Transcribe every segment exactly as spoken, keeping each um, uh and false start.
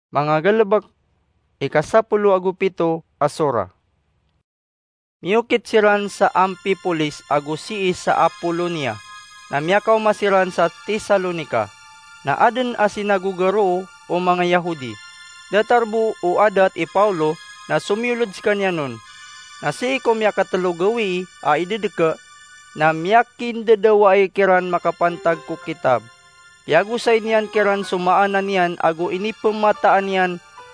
Manga galebek, ika sapolo ago pito a sora. Miyokit siran sa Amphipolis ago sii sa Apolonia, na miyakaoma siran sa Tesalonica. Na aden a sinagoga roo o manga Yahudi. Datar bo o adat i Paulo na somiyoled sekaniyan on. Na sii ko miyakatelo gawii a idedeke, na miyakindedawai kiran makapantag ko kitab. Piyagosay niyan kiran so maana niyan ago inipemataan iyan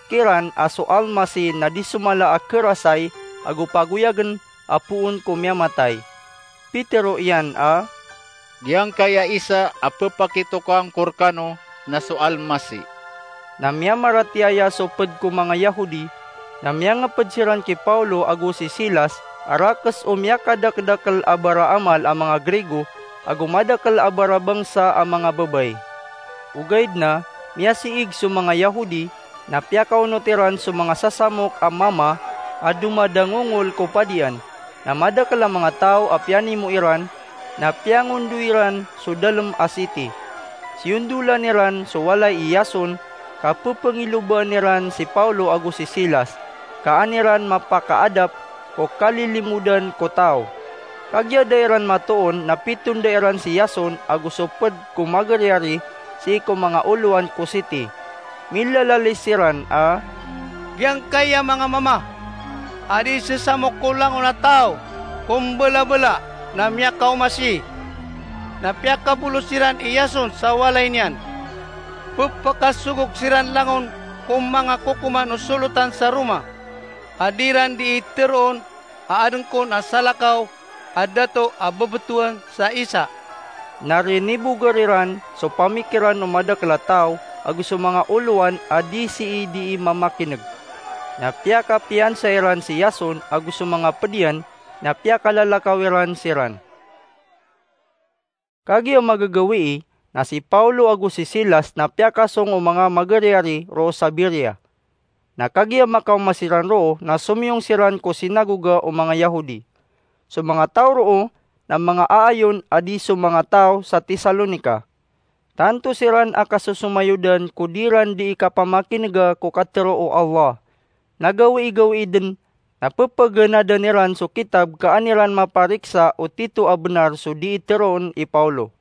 kiran a so Almasih na di so mala a kerasay ago pagoyagen a poon ko miyamatay. Pitero iyan a, "Giyangkaya isa a pepakitokawan ko rekano na so Almasih." Na miyamaratiyaya so ped ko manga Yahudi, na miyangeped siran ki Paulo ago si Silas a rakes o miyakadakedakel a baraamal a manga Grigo ago madakel a barabangsa a manga babay. Ogaid na miyasiig so manga Yahudi, na piyakaonot iran so manga sasamok a mama a domadangongol ko padian, na madakel a manga taw a piyanimo iran, na piyangondoy iran so dalem a siti. Siyondolan iran so walay i Yason, ka pepengilobaan iran si Paulo ago si Silas, ka an iran mapakaadap ko kalilimodan ko taw. Kagiya da iran matoon na pitonda iran si Yason ago so ped ko magariyari sii ko manga olowan ko siti. Milalalis siran a, "Giyangkaya manga mama a di sesamok ko langon a taw ko mbelabela na miyakaoma sii, na piyakabolos iran i Yason sa walay niyan. Pepakasogok siran langon ko manga kokoman o solotan sa Roma a di iran dii teroon a aden kon a salakaw a dato a bebetowan sa isa." Na riniboger iran so pamikiran o madakel a taw ago so manga olowan a di sii dii mamakineg. Na piyakapiyansa iran si Yason ago so manga ped iyan, na piyakalalakaw iran siran. Kagiya magagawii, na si Paulo ago si Silas na piyakasong o manga magariyari roo sa Berea. Na kagiya makaoma siran roo na somiyong siran ko sinagoga o manga Yahudi. So manga taw roo na manga aayon a di so manga taw sa Tesalonica. Tanto siran a kasosomayodan ko di ran dii kapamakinega ko katero o Allah. Na gawii-gawii den na pepegenadan iran so kitab ka an iran mapariksa o tito a benar so dii teroon i Paulo.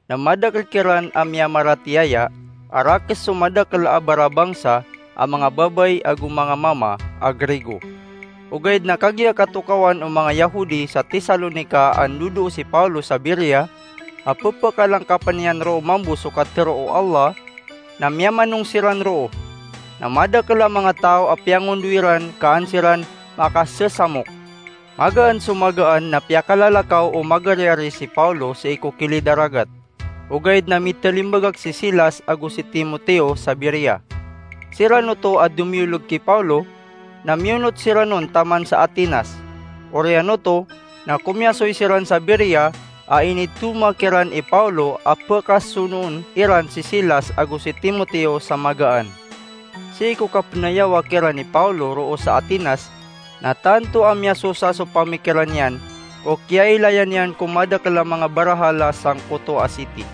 Na madakel kiran a miyamaratiyaya a rakes so madakel a barabangsa a manga babay ago manga mama a Grigo. Ogaid na kagiya katokawan o manga Yahudi sa Tesalonica a ndodoo si Paulo sa Berea a pepekalangkapen iyan roo mambo so katero o Allah, na miyamanong siran roo. Na madakel a manga taw a piyangondoy ran ka an siran makasesamok. Magaan so magaan na piyakalalakaw o magariyari si Paulo sii ko kilid a ragat. Ogaid na mitalimbagak si Silas ago si Timoteo sa Berea. Siran oto a domiyolog ki Paulo, na miyonot siran on taman sa Atenas. Oriyan oto na komiyasoy siran sa Berea a initoma kiran i Paulo a pekasonoon iran si Silas ago si Timoteo sa magaan. Sii ko kapenayawa kiran i Paulo roo sa Atenas, na tanto a miyasosa so pamikiran iyan o kiyailayan iyan ko madakel a manga barahala sangkoto a siti.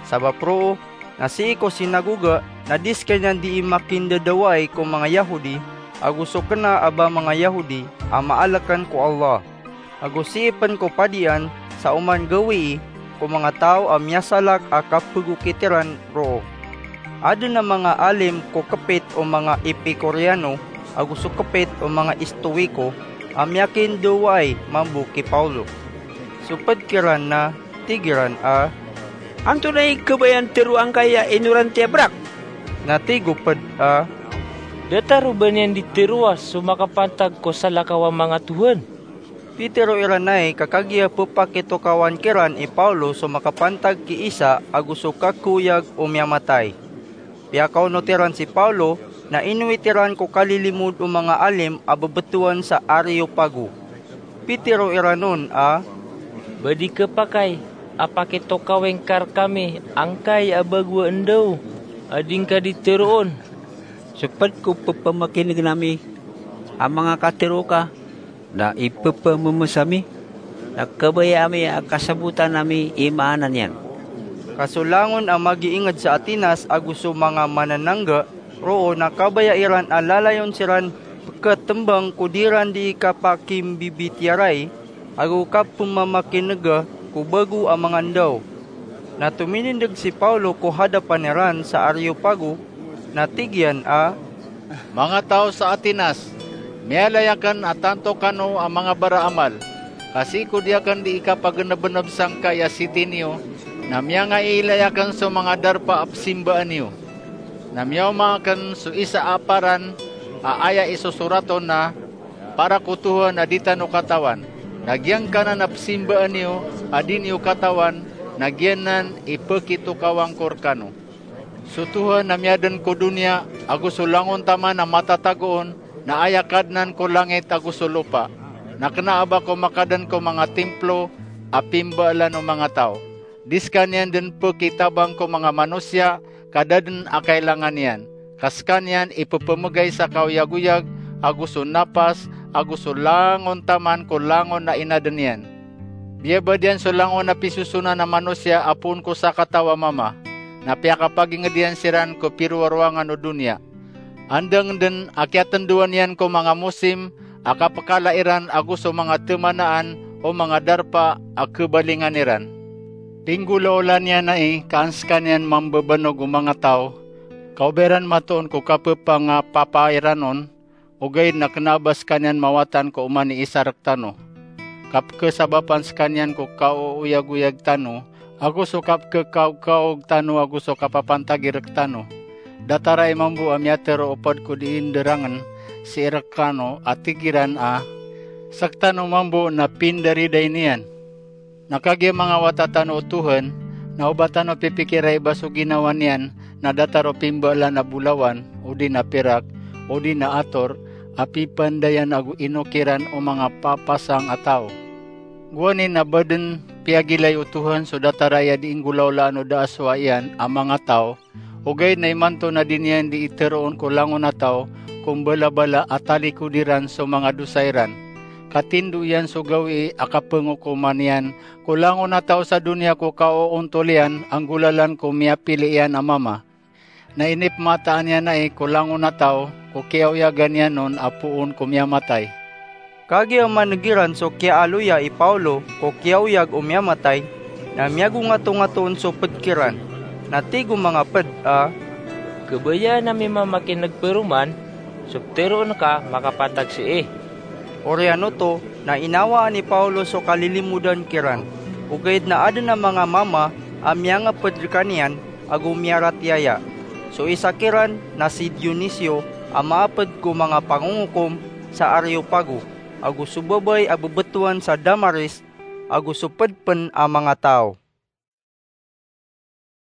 Sabap roo na sii ko sinagoga na di sekaniyan dii makindadawai ko manga Yahudi ago so kena a ba manga Yahudi a maalekan ko Allah. Ago sii pen ko padian sa oman gawii ko manga taw a miyasalak a kapegokit iran roo. Aden a manga alim ko kepit o manga Epikureano ago so kepit o manga Estoiko a miyakindawaay mambo ki Paulo. So ped kiran na tig iran a, "Antonaa i kabayaan tero angkai a inoran tiya berak?" Na tig o ped a, "Datar o ba niyan di teroa so makapantag ko salakaw a manga tohan." Pitero iran ai ka kagiya pepakitokawan kiran i Paulo so makapantag ki isa ago so kakoyag o miyamatay. Piyakaonot iran si Paulo na inowit iran ko kalilimod o manga alim a bebetowan sa Areopago. Pitero iran on a, "Ba di kepakay a pakitokawing ka rekami angkai a bago a endaw a di ngka di teroon?" So ped ko pepamakinegen ami a manga katero ka, na ipepamemesa mi, na kabaya ami a kasabotan ami i maana niyan. Ka so langon a magiinged sa Atenas ago so manga mananangga Roo na kabaya iran a lalayon siran pkhatmbang ko di ran di kapakimbibitiyarai ago kapmamakinega ko bago a mangandaw. Na tominindeg si Pawlo ko hadapan iran sa Areopago, na tig iyan a, "Manga taw sa Atenas, miyalay akn a tanto kano a manga baraamal, ka sii ko di akn di ikapagnbnb sangkai a siti niyo, na miyangaiilay akn so manga darpa a psimbaan iyo. Na miyaoma akn so isa a paran a aya isosorat on na, 'Para ko Tohan a di tano katawan.' Na giyangkanan a psimbaan iyo a di niyo katawan, na giyanan i pkitokawang ko rkano. So Tohan a miyadn ko doniya ago so langon taman a matatago on, na aya Kadnan ko langit ago so lopa, na kna a ba ko makadn ko manga timplo a pimbaalan o manga taw. Di skaniyan dn pkitabang ko manga manosiya ka da dn a kailangan iyan, ka skaniyan i ppmgay sa kaoyagoyag ago so napas ago so langon taman ko langon a inadn iyan. Biyabad iyan so langon a pisosonan a manosiya a poon ko sakataw a mama, na piyakapagingd iyan siran ko pirowarowangan o doniya. Andang dn a kiyatndoan iyan ko manga mosim a kapkala iran ago so manga tmanaan o manga darpa a khabalingan iran. Pinggolaola niyan ai ka an skaniyan mambabanog o manga taw, ka o ba iran matoon ko kapphangapapa iran on, ogaid na kna a ba skaniyan mawatan ko oman i isa rktano. Kapkhasabapan skaniyan ko kaoyagoyag tano, ago so kapkhakaogkaog tano ago so kapapantagi rktano. Datar ai mambo a miyatharo o pd ko dii ndarangn sii rkano a tig iran a, 'Sktano mambo na pindariday niyan.' Na kagiya manga wata tano o Tohan, na o ba tano pipikirai ba so ginawa niyan na datar o pimbaalan a bolawan, odi na pirak, odi na ator, a pipandayan ago inokiran o manga papasang a taw. Gowani na ba dn piyagilay o Tohan so datar aya di inggolaolaan o da a sowaa iyan a manga taw, ogaid na imanto na di niyan di itharoon ko langon a taw ko mbalabala a talikodi ran so manga dosa iran. Ka tindo iyan so gawii a kapngokoman iyan ko langon a taw sa doniya ko kaoontol iyan a nggolalan ko miyapili iyan a mama. Na inipmataan iyan ai ko langon a taw ko kiyaoyagan iyan on a poon ko miyamatay. Kagiya maneg iran so kiyaaloya i Pawlo ko kiyaoyag o miyamatay, na miyagongatongato on so pd kiran. Na tig o manga pd a, "Khabayaan ami mamakineg paroman so ptharoon ka makapantag sii." Oriyan oto na inawaan i Pawlo so kalilimodan kiran, ogaid na adn a manga mama a miyangapd rkaniyan ago miyaratiyaya. So isa kiran na si Dionisio a maapd ko manga pangongokom sa Areopago, ago so babay a bbtowan sa Damaris, ago so pd pn a manga taw.